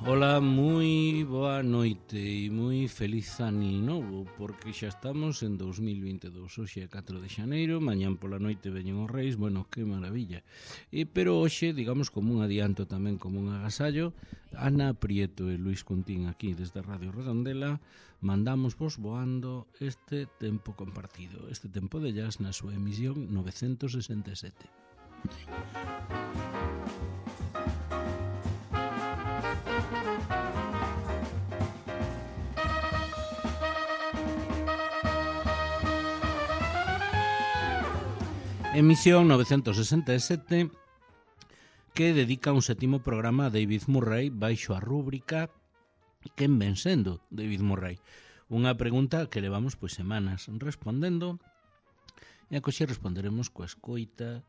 Ola, moi boa noite e moi feliz ano novo, porque xa estamos en 2022. Hoxe é 4 de xaneiro, mañán pola noite veñen os reis, bueno, que maravilla. Pero hoxe, digamos, como un adianto tamén, como un agasallo, Ana Prieto e Luis Contín aquí desde Radio Redondela mandamos vos voando este tempo compartido, este tempo de jazz na súa emisión 967. Emisión 967 que dedica un sétimo programa a David Murray baixo a rúbrica Quen ven sendo David Murray? Unha pregunta que levamos semanas respondendo e a que xe responderemos coa escoita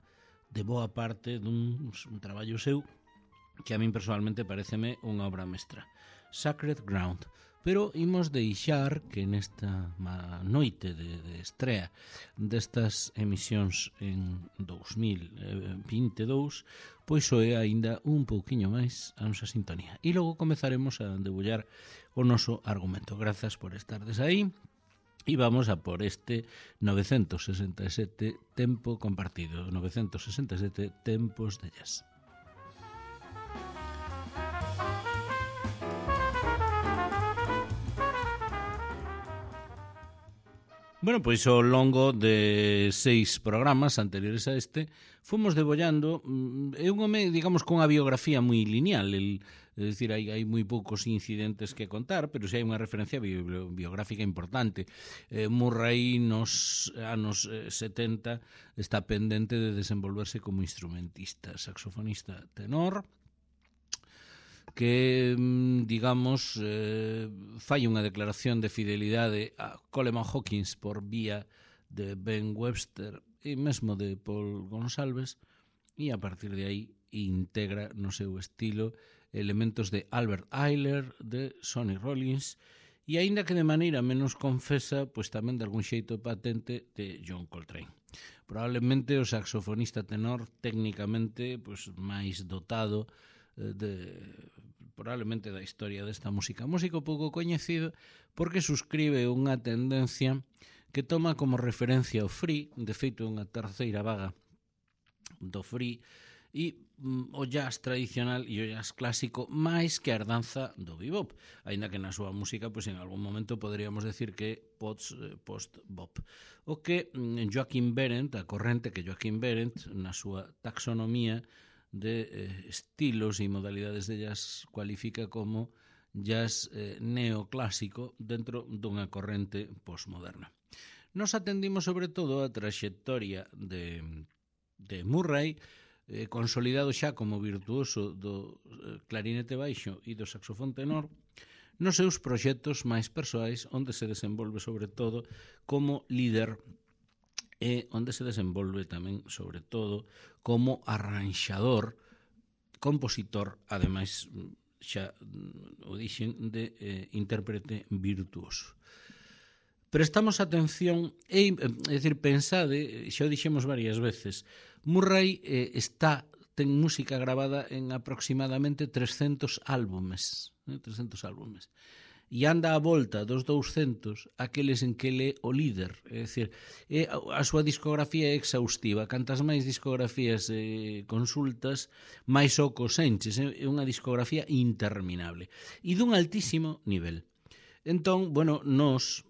de boa parte dun traballo seu que a min personalmente pareceme unha obra mestra, Sacred Ground. Pero imos deixar que nesta noite de estrea destas emisións en 2022 pois soe aínda un pouquiño máis a nosa sintonía. E logo comezaremos a debullar o noso argumento. Grazas por estardes aí. E vamos a por este 967 tempo compartido, 967 tempos de jazz. Bueno, pois ao longo de 6 programas anteriores a este fomos debollando, é un home, digamos, con unha biografía moi lineal, é dicir, hai moi poucos incidentes que contar, pero se hai unha referencia biográfica importante. Murray nos anos 70 está pendente de desenvolverse como instrumentista, saxofonista tenor, que, digamos, fai unha declaración de fidelidade a Coleman Hawkins por vía de Ben Webster e mesmo de Paul Gonsalves, e a partir de aí integra no seu estilo elementos de Albert Ayler, de Sonny Rollins, e aínda que de maneira menos confesa, pois tamén de algún xeito patente de John Coltrane. Probablemente o saxofonista tenor técnicamente pois máis dotado probablemente da historia desta música. Músico pouco coñecido porque suscribe unha tendencia que toma como referencia o free, de feito unha terceira vaga do free, e o jazz tradicional e o jazz clásico máis que a herdanza do bebop, aínda que na súa música pois en algún momento poderíamos decir que post-bop. O que Joachim Behrendt, a corrente que Joachim Behrendt na súa taxonomía de estilos e modalidades de jazz cualifica como jazz neoclásico dentro dunha corrente postmoderna. Nos atendimos sobre todo a traxectoria de Murray, consolidado xa como virtuoso do clarinete baixo e do saxofón tenor, nos seus proxectos máis persoais, onde se desenvolve sobre todo como líder e onde se desenvolve tamén, sobre todo, como arranxador, compositor, ademais, xa o dixen, de intérprete virtuoso. Prestamos atención, é dicir, pensade, xa o dixemos varias veces, Murray ten música grabada en aproximadamente 300 álbumes, 300 álbumes. E anda a volta dos 200 aqueles en que ele é o líder, é dicir, a súa discografía é exhaustiva, cantas máis discografías consultas, máis ocos enches, é unha discografía interminable e dun altísimo nivel. Entón, bueno, nos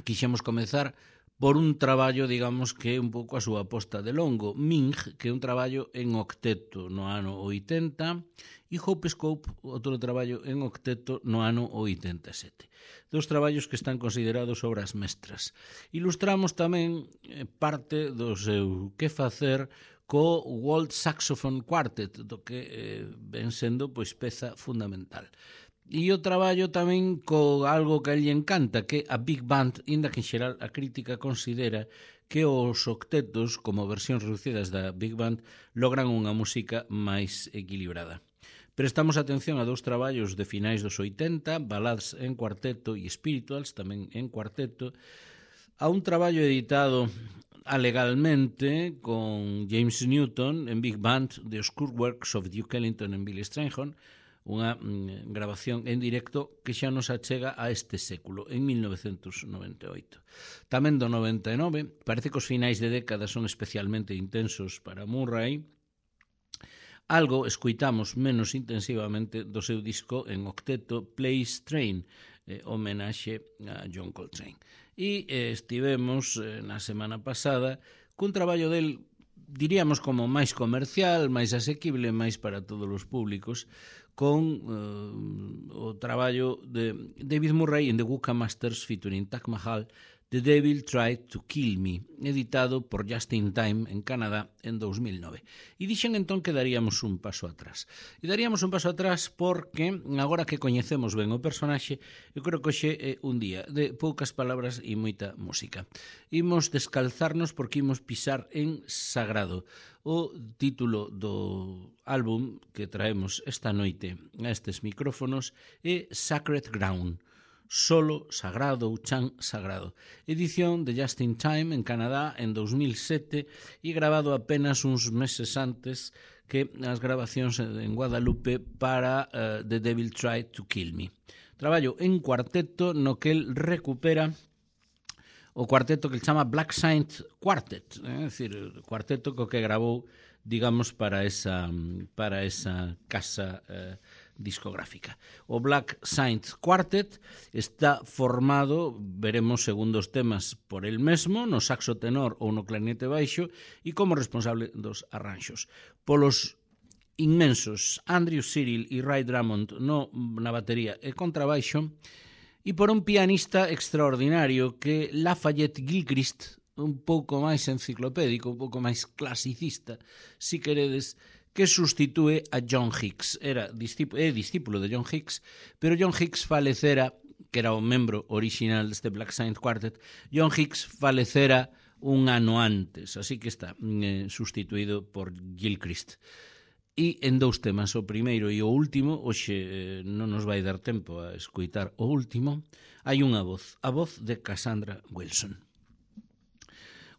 quixemos comezar por un traballo, digamos, que é un pouco a súa aposta de longo, Ming, que é un traballo en octeto no ano 80, e Hope Scope, outro traballo en octeto no ano 87. Dos traballos que están considerados obras mestras. Ilustramos tamén parte do seu que facer co World Saxophone Quartet, do que ven sendo pois peza fundamental. E o traballo tamén co algo que a lle encanta, que a Big Band, inda que en xeral a crítica considera que os octetos, como versións reducidas da Big Band, logran unha música máis equilibrada. Prestamos atención a dous traballos de finais dos 80, Ballads en cuarteto e Spirituals, tamén en cuarteto, a un traballo editado alegalmente con James Newton en Big Band, The Obscure Works of Duke Ellington and Billy Strayhorn, unha grabación en directo que xa nos achega a este século, en 1998. Tamén do 99, parece que os finais de década son especialmente intensos para Murray. Algo escoitamos menos intensivamente do seu disco en octeto Place Train, homenaxe a John Coltrane. E estivemos na semana pasada cun traballo del, diríamos, como máis comercial, máis asequible, máis para todos os públicos, con o traballo de David Murray en The Wukka Masters featuring Taj Mahal, The Devil Tried to Kill Me, editado por Just in Time en Canadá en 2009. E dixen entón que daríamos un paso atrás. E daríamos un paso atrás porque, agora que coñecemos ben o personaxe, eu creo que hoxe é un día de poucas palabras e moita música. Imos descalzarnos porque imos pisar en sagrado. O título do álbum que traemos esta noite a estes micrófonos é Sacred Ground, solo sagrado ou chan sagrado. Edición de Just in Time en Canadá en 2007 e grabado apenas uns meses antes que as grabacións en Guadalupe para The Devil Tried to Kill Me. Traballo en cuarteto no que el recupera o cuarteto que chama Black Saint Quartet, é dicir, o cuarteto co que gravou, digamos, para esa casa discográfica. O Black Saint Quartet está formado, veremos segundo os temas, por el mesmo, no saxo tenor ou no clarinete baixo, e como responsable dos arranxos. Polos inmensos Andrew Cyril e Ray Drummond na batería e contrabaixo, e por un pianista extraordinario que Lafayette Gilchrist, un pouco máis enciclopédico, un pouco máis clasicista, si queredes, que sustitúe a John Hicks. É discípulo de John Hicks, pero John Hicks falecera, que era o membro original deste Black Saint Quartet, John Hicks falecera un ano antes, así que está sustituído por Gilchrist. E en dous temas, o primeiro e o último, hoxe non nos vai dar tempo a escoitar o último, hai unha voz, a voz de Cassandra Wilson.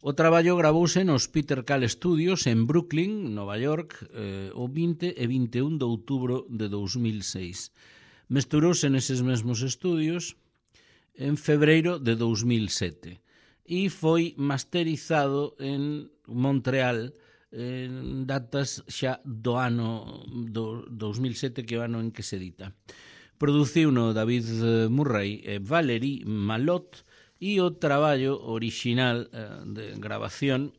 O traballo gravouse nos Peter Call Studios en Brooklyn, Nova York, o 20 e 21 de outubro de 2006. Mesturouse neses mesmos estudios en febreiro de 2007 e foi masterizado en Montreal en datas xa do ano 2007, que é o ano en que se edita. Produciuno David Murray e Valerie Malot, e o traballo original de grabación,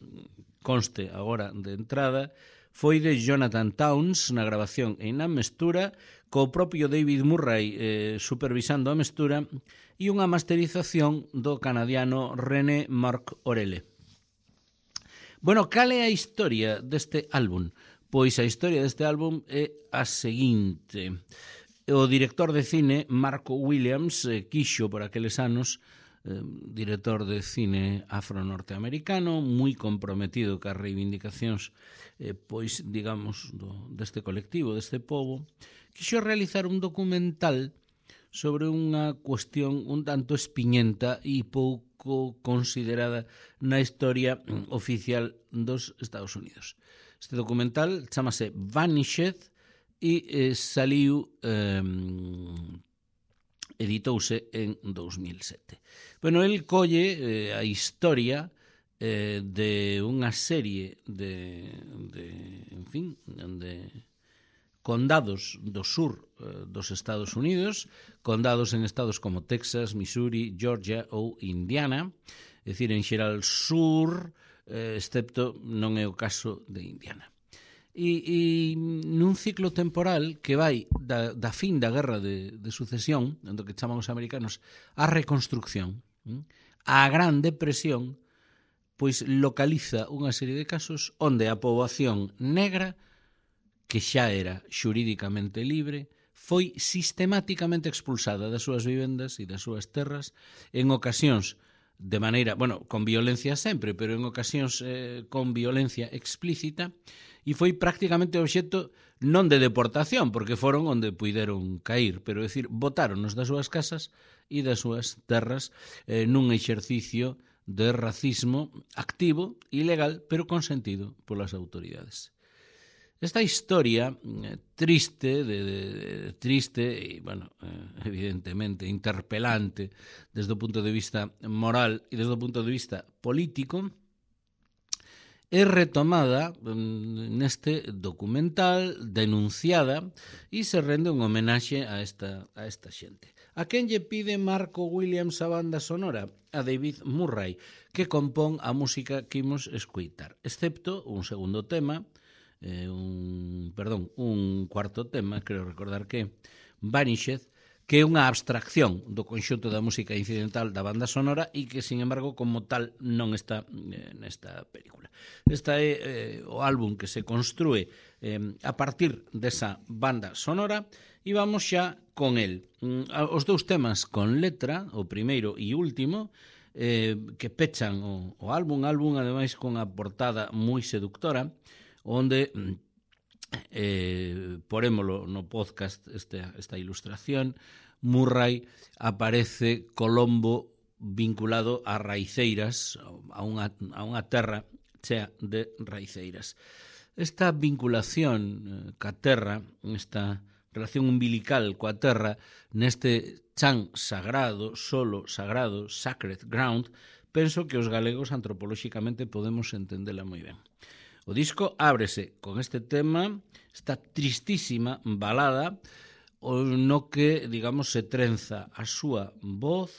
conste agora de entrada, foi de Jonathan Towns na grabación e na mestura, co propio David Murray supervisando a mestura, e unha masterización do canadiano René Marc Orele. Bueno, cal é a historia deste álbum? Pois a historia deste álbum é a seguinte. O director de cine, Marco Williams, quixo por aqueles anos, director de cine afro-norteamericano, moi comprometido cas reivindicacións, pois, digamos, deste colectivo, deste pobo, quixo realizar un documental sobre unha cuestión un tanto espiñenta e pouco considerada na historia oficial dos Estados Unidos. Este documental chamase Vanished e saliu, editouse en 2007. Bueno, el colle a historia de unha serie de condados do sur dos Estados Unidos, condados en estados como Texas, Missouri, Georgia ou Indiana, é dicir, en xeral sur, excepto non é o caso de Indiana. E nun ciclo temporal que vai da fin da guerra de sucesión, do que chaman os americanos a reconstrucción, a Gran Depresión, pois localiza unha serie de casos onde a poboación negra, que xa era xurídicamente libre, foi sistemáticamente expulsada das súas vivendas e das súas terras, en ocasións de maneira, con violencia sempre, pero en ocasións con violencia explícita, e foi prácticamente obxecto non de deportación, porque foron onde puideron cair, pero, é dicir, botáronos das súas casas e das súas terras nun exercicio de racismo activo, ilegal, pero consentido polas autoridades. Esta historia triste, triste e, bueno, evidentemente interpelante desde o punto de vista moral e desde o punto de vista político, é retomada neste documental, denunciada, e se rende un homenaxe a esta xente. A quen lle pide Marco Williams a banda sonora? A David Murray, que compón a música que imos escoitar, excepto un segundo tema, un cuarto tema, creo recordar que Vanished, que é unha abstracción do conxunto da música incidental da banda sonora e que, sin embargo, como tal non está nesta película. Esta é o álbum que se construe a partir desa banda sonora e vamos xa con el. Os dous temas con letra, o primeiro e último, que pechan o álbum ademais con a portada moi seductora, onde porémolo no podcast esta ilustración. Murray aparece Colombo vinculado a raiceiras, a unha terra chea de raiceiras. Esta vinculación ca terra, esta relación umbilical coa terra, neste chan sagrado, solo sagrado, sacred ground, penso que os galegos antropolóxicamente podemos entendela moi ben. O disco ábrese con este tema, esta tristísima balada, no que, digamos, se trenza a súa voz,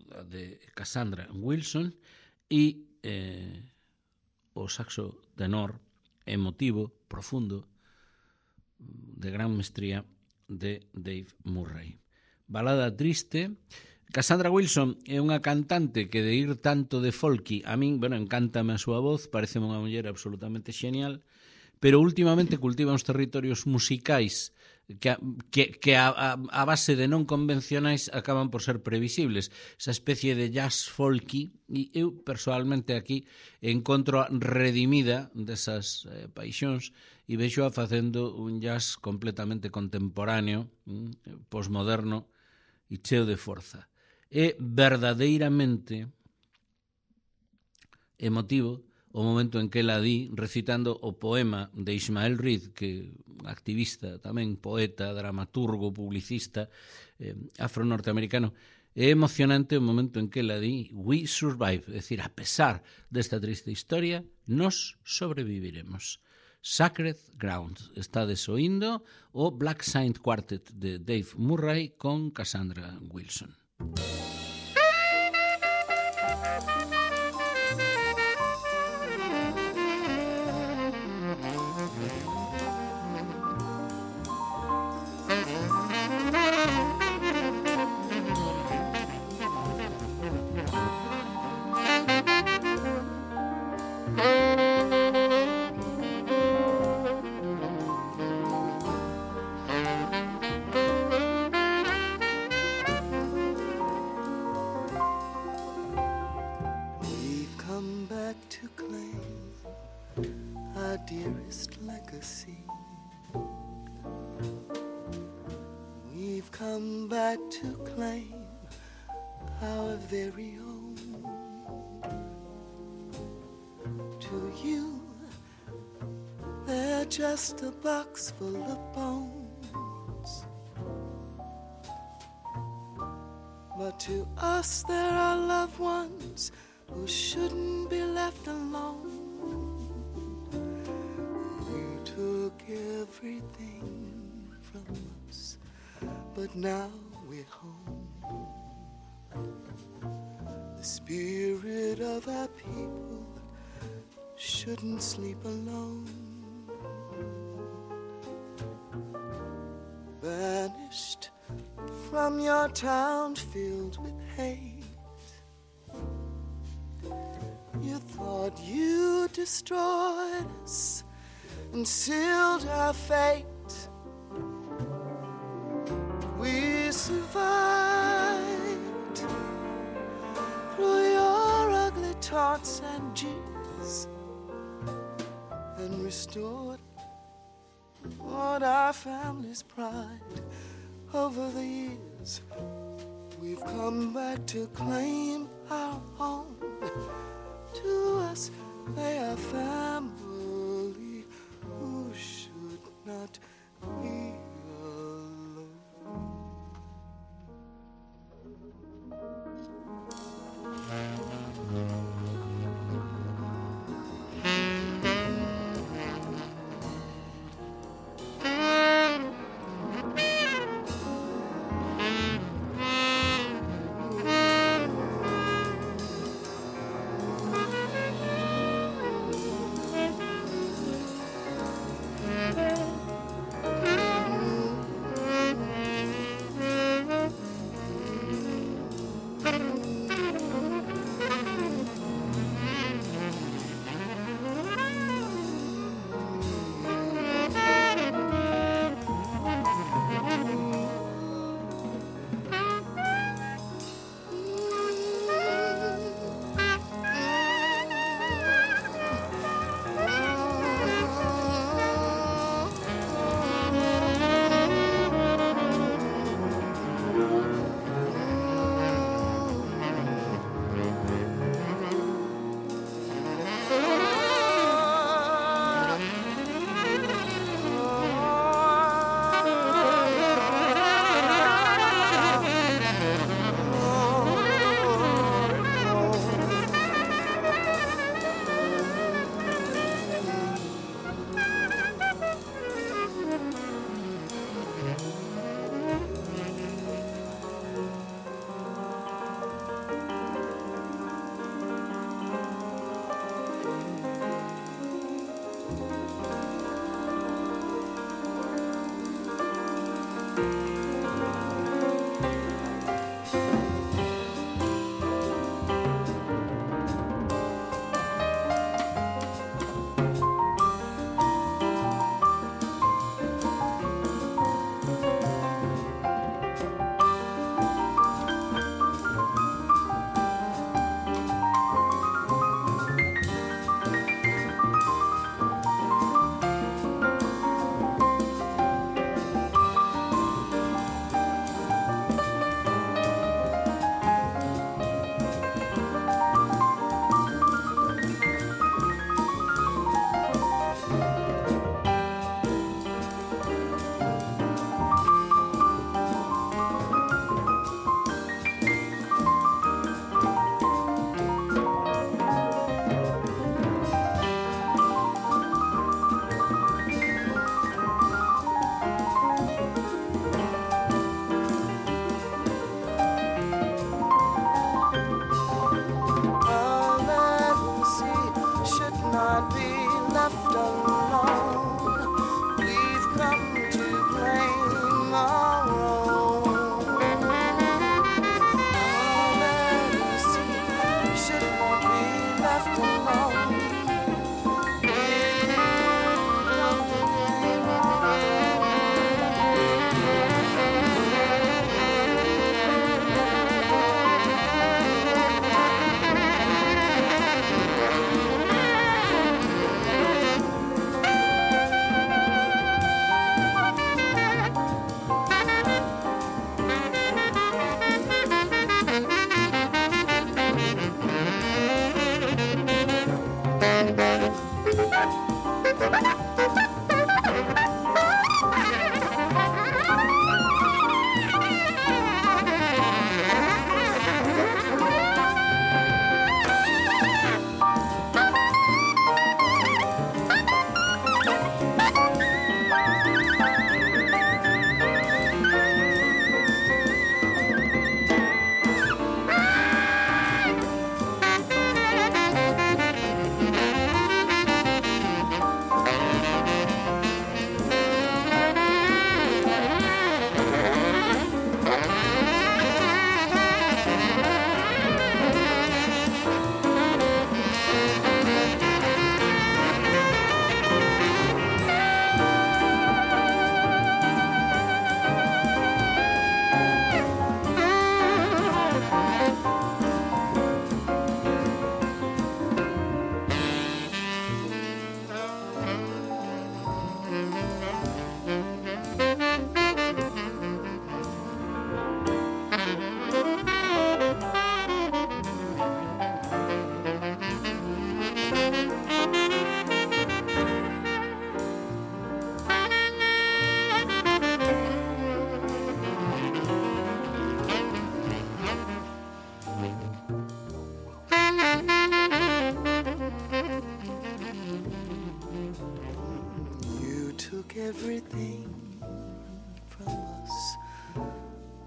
a de Cassandra Wilson, e o saxo tenor emotivo, profundo, de gran mestría de Dave Murray. Balada triste. Cassandra Wilson é unha cantante que de ir tanto de folky, a min, bueno, encántame a súa voz, parece unha muller absolutamente xenial, pero últimamente cultiva uns territorios musicais que a base de non convencionais acaban por ser previsibles. Esa especie de jazz folky, e eu personalmente aquí encontro redimida desas paixóns e vexo a facendo un jazz completamente contemporáneo, posmoderno e cheo de forza. É verdadeiramente emotivo o momento en que ela di, recitando o poema de Ismael Reed, que activista, tamén poeta, dramaturgo, publicista, afro-norteamericano. É emocionante o momento en que ela di "We survive", é dicir, a pesar desta triste historia, nos sobreviviremos. Sacred Ground. Está desoindo o Black Saint Quartet de Dave Murray con Cassandra Wilson. Just a box full of bones, but to us there are loved ones who shouldn't be left alone. You took everything from us, but now we're home. The spirit of our people shouldn't sleep alone. Vanished from your town filled with hate. You thought you destroyed us and sealed our fate. We survived through your ugly taunts and jeers and restored what our family's pride. Over the years, we've come back to claim our own. To us, they are family who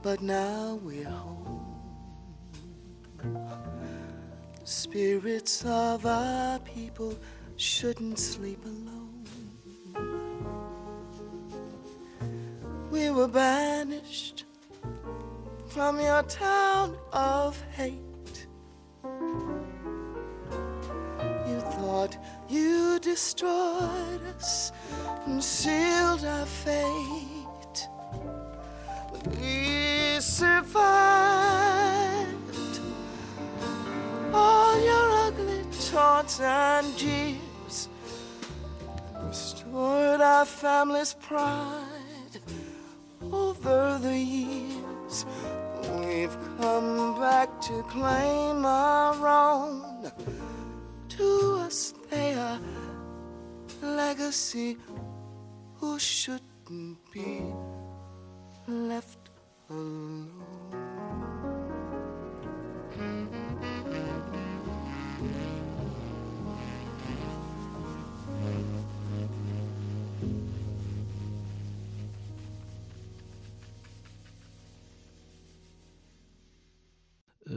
but now we're home. The spirits of our people shouldn't sleep alone. We were banished from your town of hate. You thought you destroyed us and sealed our fate, but we survived all your ugly taunts and jeers, restored our family's pride over the years. We've come back to claim our own. To us they are legacy who shouldn't be left alone.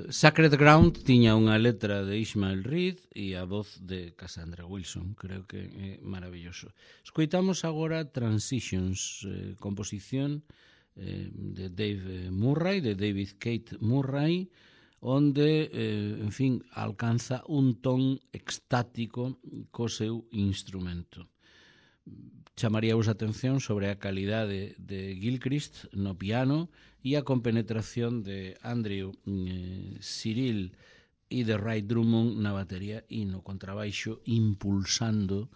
Sacred Ground tiña unha letra de Ishmael Reed e a voz de Cassandra Wilson. Creo que é maravilloso. Escoitamos agora Transitions, composición de Dave Murray, de David Kate Murray, onde, en fin, alcanza un ton extático co seu instrumento. Chamaríamos a atención sobre a calidade de Gilchrist no piano e a compenetración de Andrew Cyril e de Ray Drummond na batería e no contrabaixo, impulsando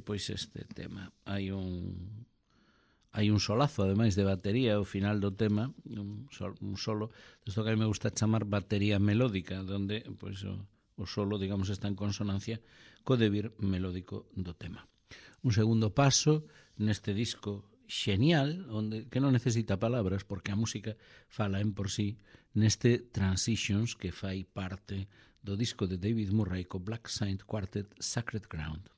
pois este tema. Hai un solazo, ademais, de batería ao final do tema, un solo, isto que a mí me gusta chamar batería melódica, donde pois, o solo, digamos, está en consonancia co debir melódico do tema. Un segundo paso neste disco xenial, onde que non necesita palabras porque a música fala en por sí, neste Transitions que fai parte do disco de David Murray co Black Saint Quartet Sacred Ground.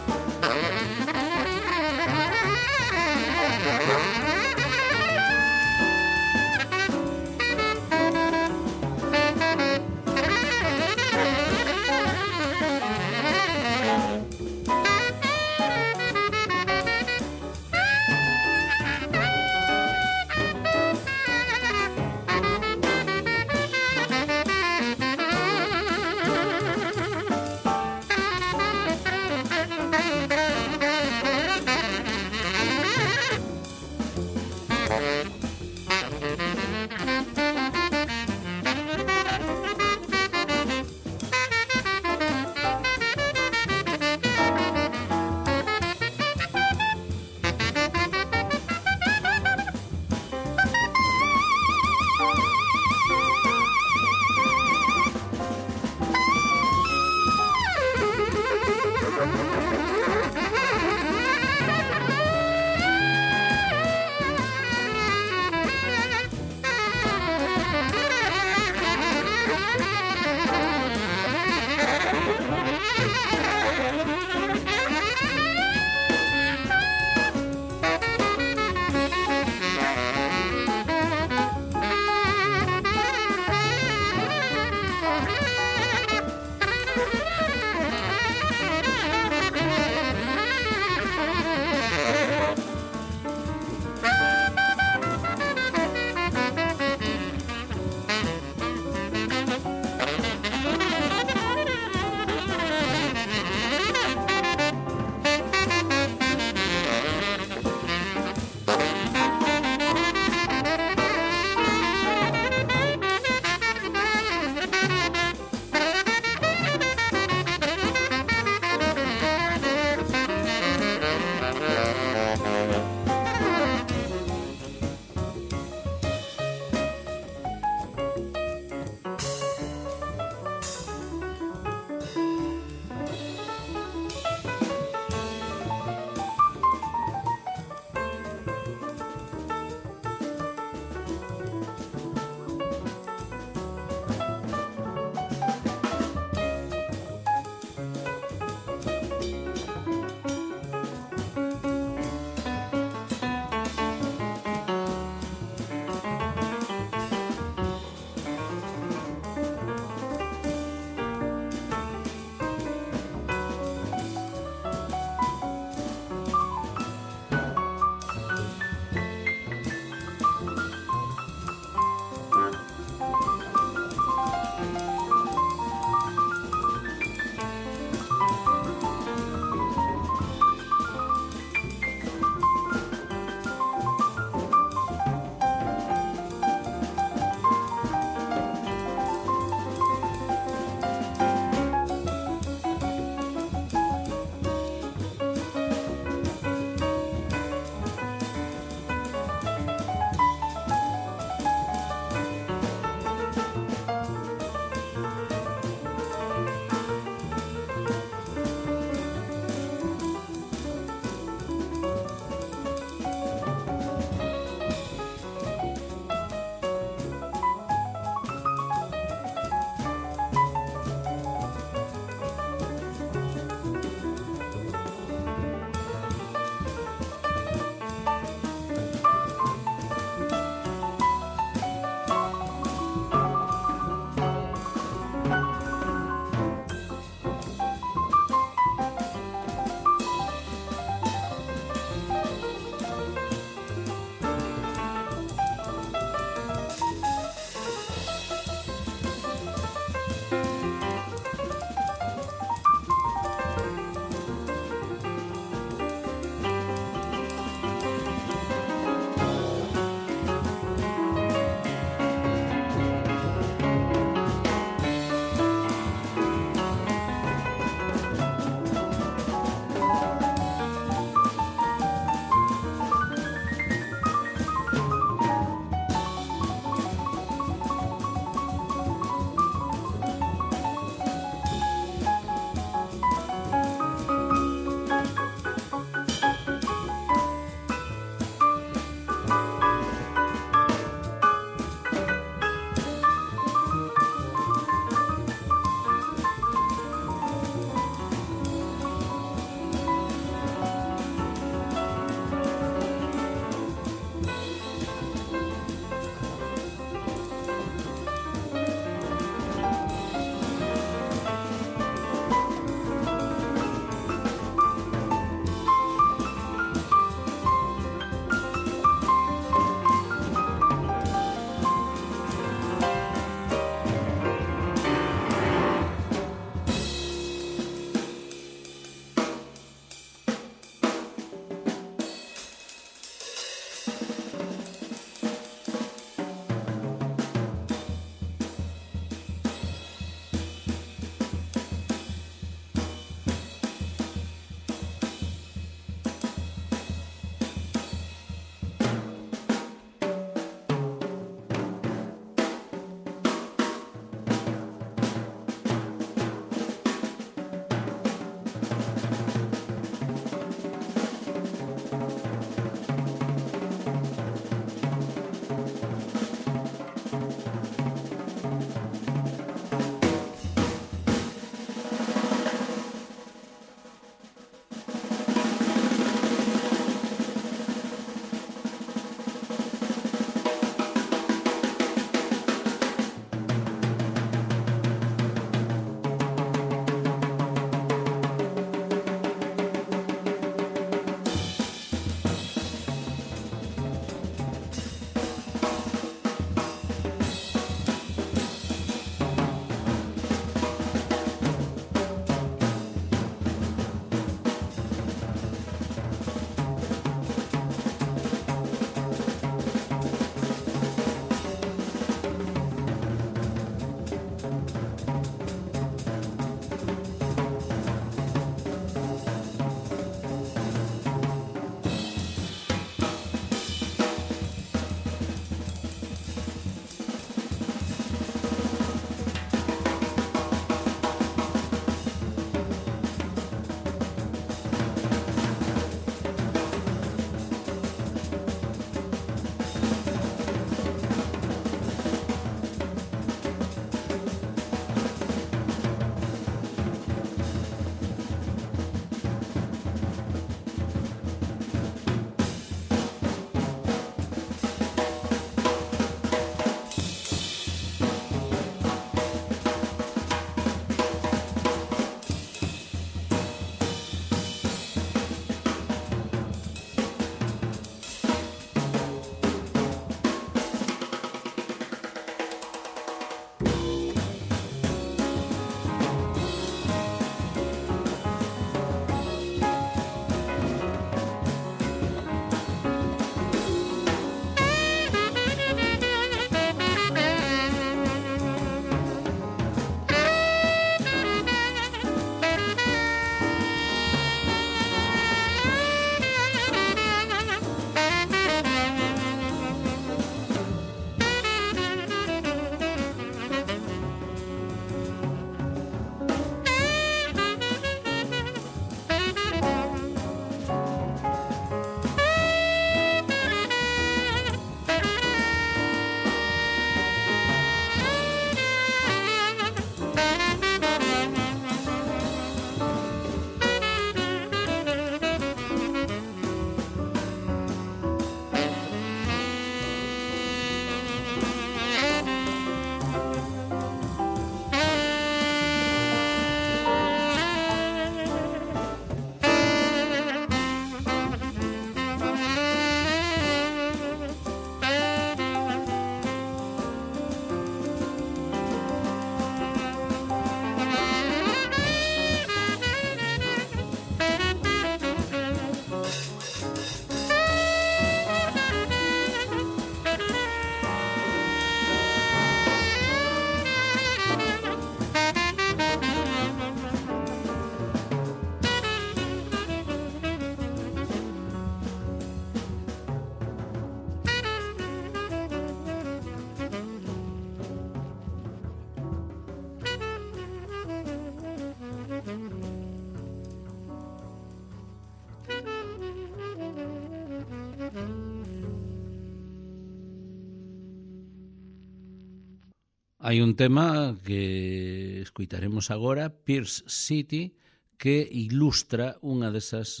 Hai un tema que escuitaremos agora, Pierce City, que ilustra unha desas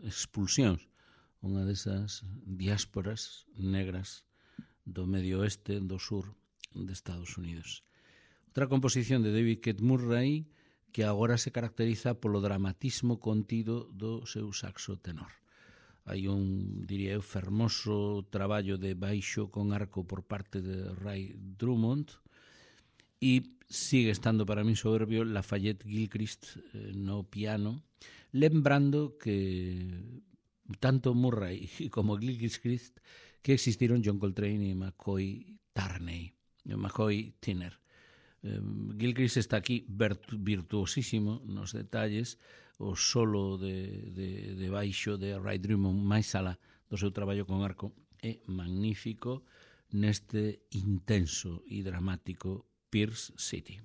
expulsións, unha desas diásporas negras do medio oeste, do sur de Estados Unidos. Outra composición de David Keith Murray que agora se caracteriza polo dramatismo contido do seu saxo tenor. Hai un, diría eu, fermoso traballo de baixo con arco por parte de Ray Drummond e sigue estando para mí soberbio Lafayette Gilchrist no piano, lembrando que tanto Murray como Gilchrist que existiron John Coltrane e McCoy Tyner. Gilchrist está aquí virtuosísimo nos detalles, o solo de baixo de Ray Drummond máis alá do seu traballo con arco é magnífico neste intenso e dramático Pierce City.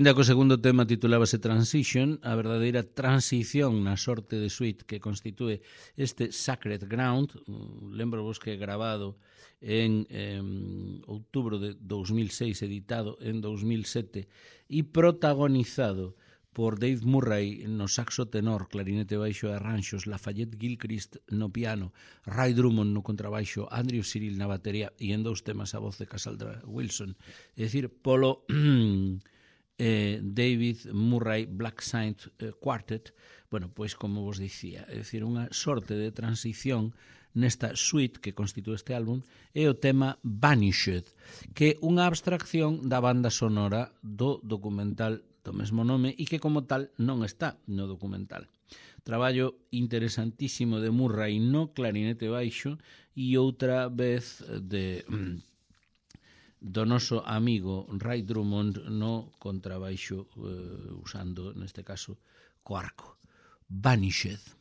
Inda co segundo tema titulábase Transition, a verdadeira transición na sorte de suite que constitúe este Sacred Ground. Lembro vos que é grabado en outubro de 2006, editado en 2007 e protagonizado por Dave Murray no saxo tenor, clarinete baixo e arranxos, Lafayette Gilchrist no piano, Ray Drummond no contrabaixo, Andrew Cyril na batería e en 2 temas a voz de Cassandra Wilson. É dicir, polo David Murray Black Saint Quartet, bueno, pois como vos dicía, é dicir, unha sorte de transición nesta suite que constitúe este álbum é o tema Vanished, que é unha abstracción da banda sonora do documental do mesmo nome e que como tal non está no documental. Traballo interesantísimo de Murray no clarinete baixo e outra vez do noso amigo Ray Drummond no contrabaixo, usando neste caso co arco. Vanished.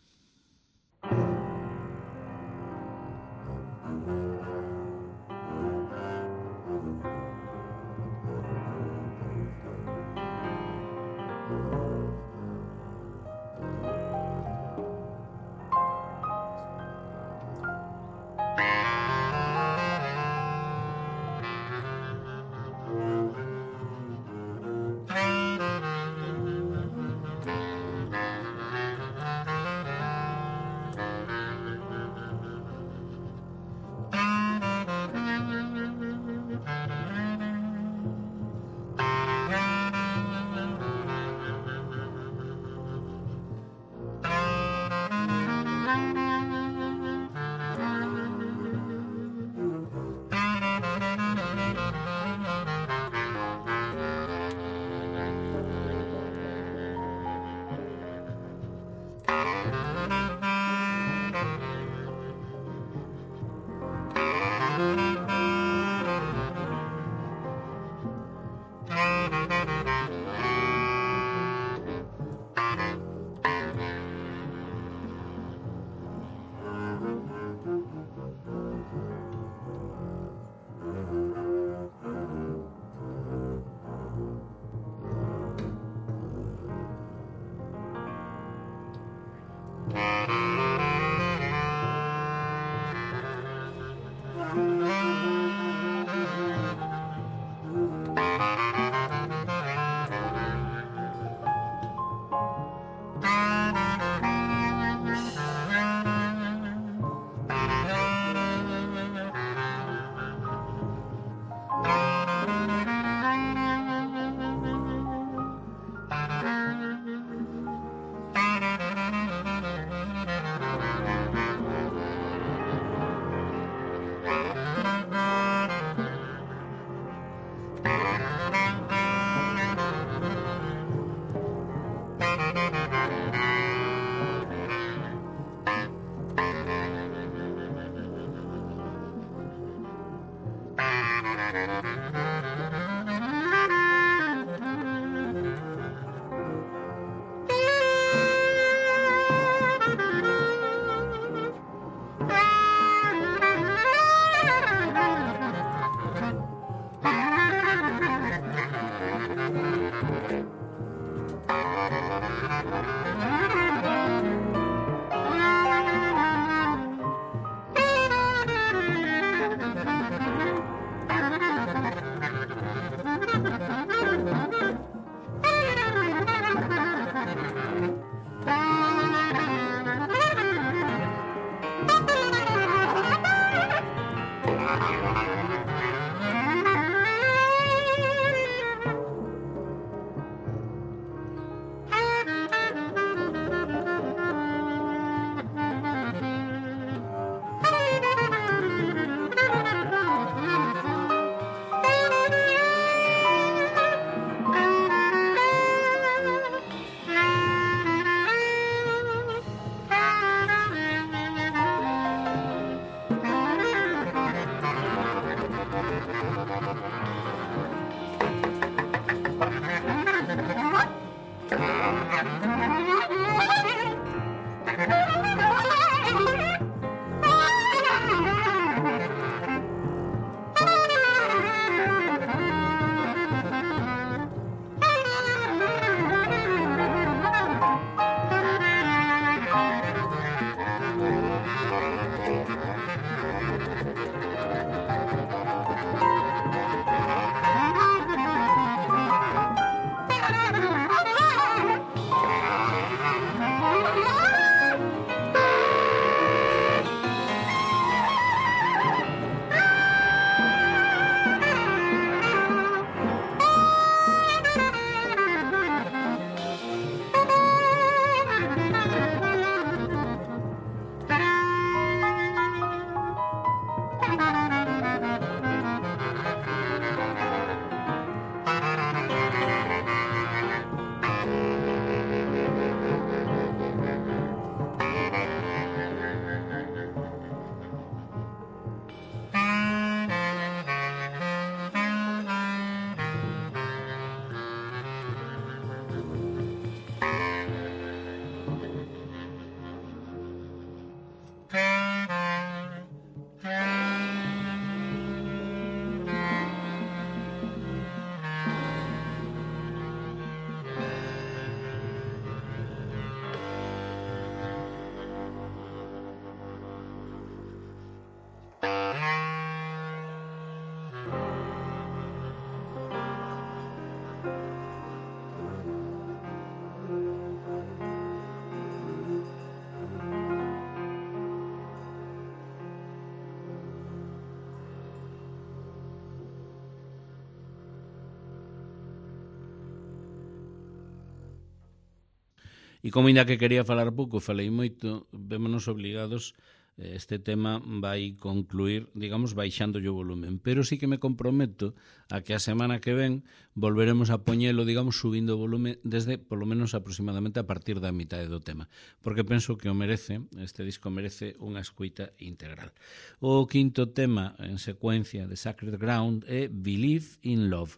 E como ainda que quería falar pouco, falei moito, vémonos obligados, este tema vai concluir, digamos, baixando o volumen, pero sí que me comprometo a que a semana que ven volveremos a poñelo, digamos, subindo o volumen desde, polo menos, aproximadamente a partir da mitade do tema, porque penso que o merece, este disco merece unha escuita integral. O quinto tema en secuencia de Sacred Ground é Believe in Love.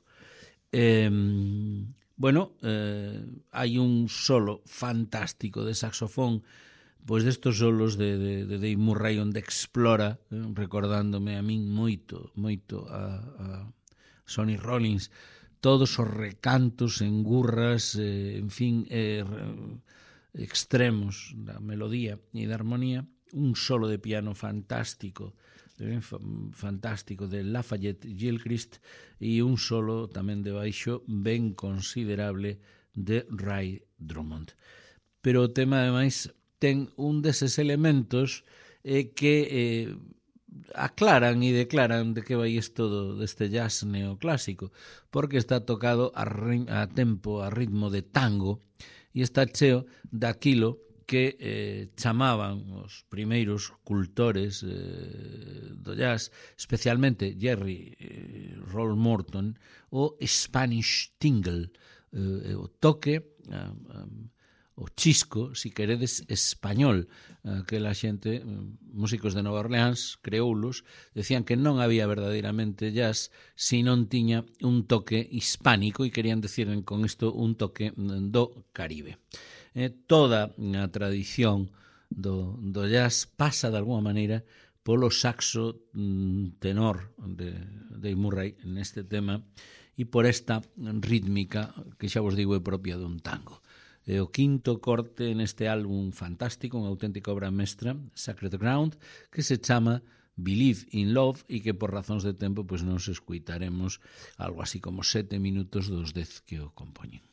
Hai un solo fantástico de saxofón, pois destos solos de Dave Murray, onde explora, recordándome a min moito a Sonny Rollins, todos os recantos en gurras, en fin, extremos da melodía e da armonía, un solo de piano fantástico de Lafayette Gilchrist e un solo tamén de baixo ben considerable de Ray Drummond. Pero o tema, ademais, ten un deses elementos que aclaran e declaran de que vai isto deste jazz neoclásico, porque está tocado a tempo, a ritmo de tango, e está cheo daquilo que chamaban os primeiros cultores do jazz, especialmente Jerry Roll Morton, o Spanish Tingle, o toque, o chisco, si queredes, español. Aquela xente, músicos de Nova Orleans, creoulos, decían que non había verdadeiramente jazz se non tiña un toque hispánico, e querían decir con isto un toque do Caribe. Toda a tradición do jazz pasa de alguma maneira polo saxo tenor de Dave Murray neste tema e por esta rítmica que xa vos digo é propia dun tango. O quinto corte neste álbum fantástico, unha auténtica obra mestra, Sacred Ground, que se chama Believe in Love e que por razóns de tempo pois nos escuitaremos algo así como 7 minutos dos 10 que o compoñen.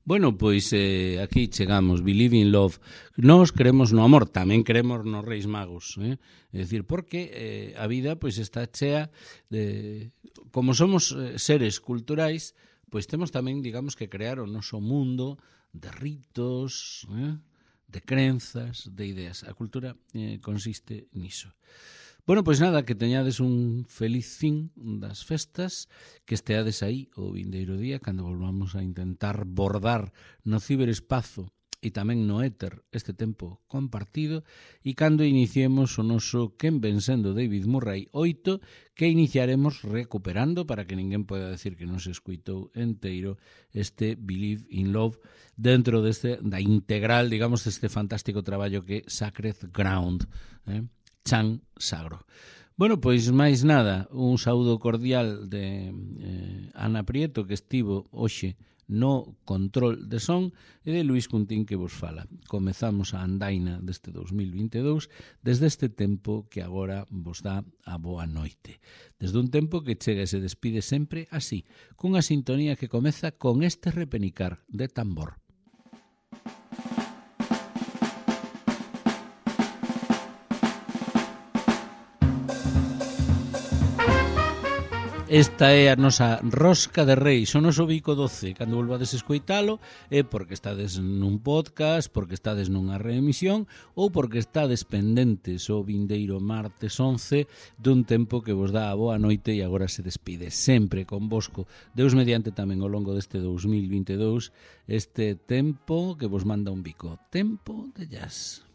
Bueno, pois aquí chegamos, Believe in Love. Nós creemos no amor, tamén creemos nos Reis Magos, É dicir, porque a vida pois está chea de... Como somos seres culturais, pois temos tamén, digamos, que crear o noso mundo de ritos, de crenzas, de ideas. A cultura consiste niso. Bueno, pois nada, que teñades un feliz fin das festas, que esteades aí o vindeiro día, cando volvamos a intentar bordar no ciberespazo e tamén no éter este tempo compartido, e cando iniciemos o noso Quen ven sendo David Murray 8, que iniciaremos recuperando, para que ninguén poida decir que non se escuitou enteiro, este Believe in Love, dentro da integral, digamos, deste fantástico traballo que é Sacred Ground, Chan Sagro. Bueno, pois máis nada, un saúdo cordial de Ana Prieto, que estivo hoxe no control de son, e de Luís Cuntín, que vos fala. Comezamos a andaina deste 2022 desde este tempo que agora vos dá a boa noite. Desde un tempo que chega e se despide sempre así, cunha sintonía que comeza con este repenicar de tambor. Esta é a nosa rosca de reis, o noso bico doce. Cando volvades a escoitalo é porque estades nun podcast, porque estades nunha reemisión ou porque estades pendentes o vindeiro martes 11 dun tempo que vos dá a boa noite e agora se despide sempre convosco. Deus mediante tamén ao longo deste 2022 este tempo que vos manda un bico. Tempo de jazz.